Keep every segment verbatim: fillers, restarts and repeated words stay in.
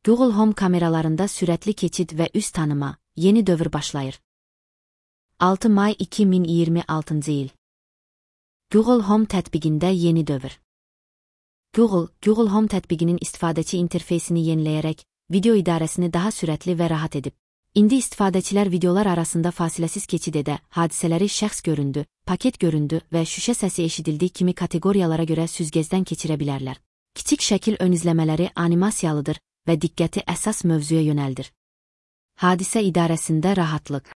Google Home kameralarında sürətli keçid və üz tanıma, yeni dövr başlayır. altı may iki min iyirmi altıncı il. Google Home tətbiqində yeni dövr. Google, Google Home tətbiqinin istifadəçi interfeysini yeniləyərək, video idarəsini daha sürətli və rahat edib. İndi istifadəçilər videolar arasında fasiləsiz keçid edə, hadisələri şəxs göründü, paket göründü və şüşə səsi eşidildiyi kimi kateqoriyalara görə süzgəcdən keçirə bilərlər. Kiçik şəkil ön izləmələri animasiyalıdır və diqqəti əsas mövzuya yönəldir. Hadisə idarəsində rahatlıq.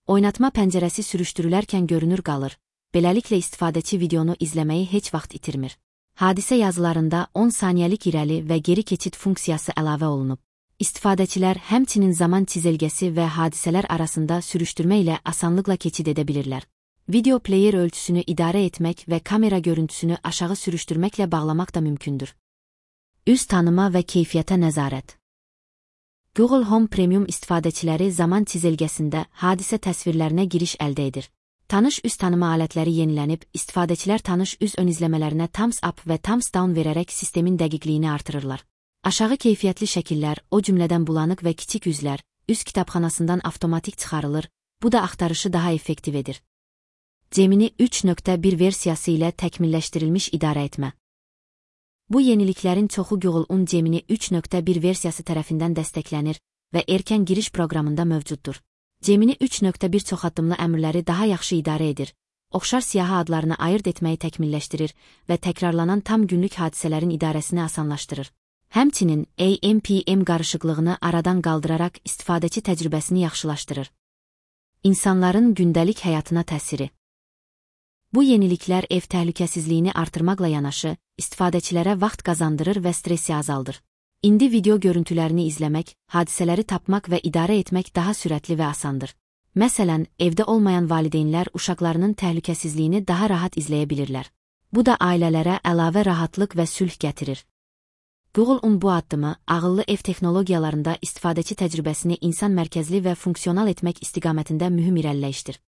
Oynatma pəncərəsi sürüşdürülərkən görünür qalır, beləliklə istifadəçi videonu izləməyi heç vaxt itirmir. Hadisə yazılarında on saniyəlik irəli və geri keçid funksiyası əlavə olunub. İstifadəçilər həmçinin zaman çizelgəsi və hadisələr arasında sürüşdürmə ilə asanlıqla keçid edə bilirlər. Video player ölçüsünü idarə etmək və kamera görüntüsünü aşağı sürüşdürməklə bağlamaq da mümkündür. Üz tanıma və keyfiyyətə nəzarət. Google Home Premium istifadəçiləri zaman çizelgəsində hadisə təsvirlərinə giriş əldə edir. Tanış üz tanıma alətləri yenilənib, istifadəçilər tanış üz ön izləmələrinə thumbs up və thumbs down verərək sistemin dəqiqliyini artırırlar. Aşağı keyfiyyətli şəkillər, o cümlədən bulanıq və kiçik üzlər, üz kitabxanasından avtomatik çıxarılır, bu da axtarışı daha effektiv edir. Gemini üç nöqtə bir versiyası ilə təkmilləşdirilmiş idarə etmə. Bu yeniliklərin çoxu Google'un Gemini üç nöqtə bir versiyası tərəfindən dəstəklənir və erkən giriş proqramında mövcuddur. Gemini üç nöqtə bir çoxaddımlı əmrləri daha yaxşı idarə edir, oxşar siyahı adlarını ayırd etməyi təkmilləşdirir və təkrarlanan tam günlük hadisələrin idarəsini asanlaşdırır. Həmçinin A M P M qarışıqlığını aradan qaldıraraq istifadəçi təcrübəsini yaxşılaşdırır. İnsanların gündəlik həyatına təsiri. Bu yeniliklər ev təhlükəsizliyini artırmaqla yanaşı, istifadəçilərə vaxt qazandırır və stressi azaldır. İndi video görüntülərini izləmək, hadisələri tapmaq və idarə etmək daha sürətli və asandır. Məsələn, evdə olmayan valideynlər uşaqlarının təhlükəsizliyini daha rahat izləyə bilirlər. Bu da ailələrə əlavə rahatlıq və sülh gətirir. Google'un bu addımı, ağıllı ev texnologiyalarında istifadəçi təcrübəsini insan mərkəzli və funksional etmək istiqamətində mühüm irəliləyişdir.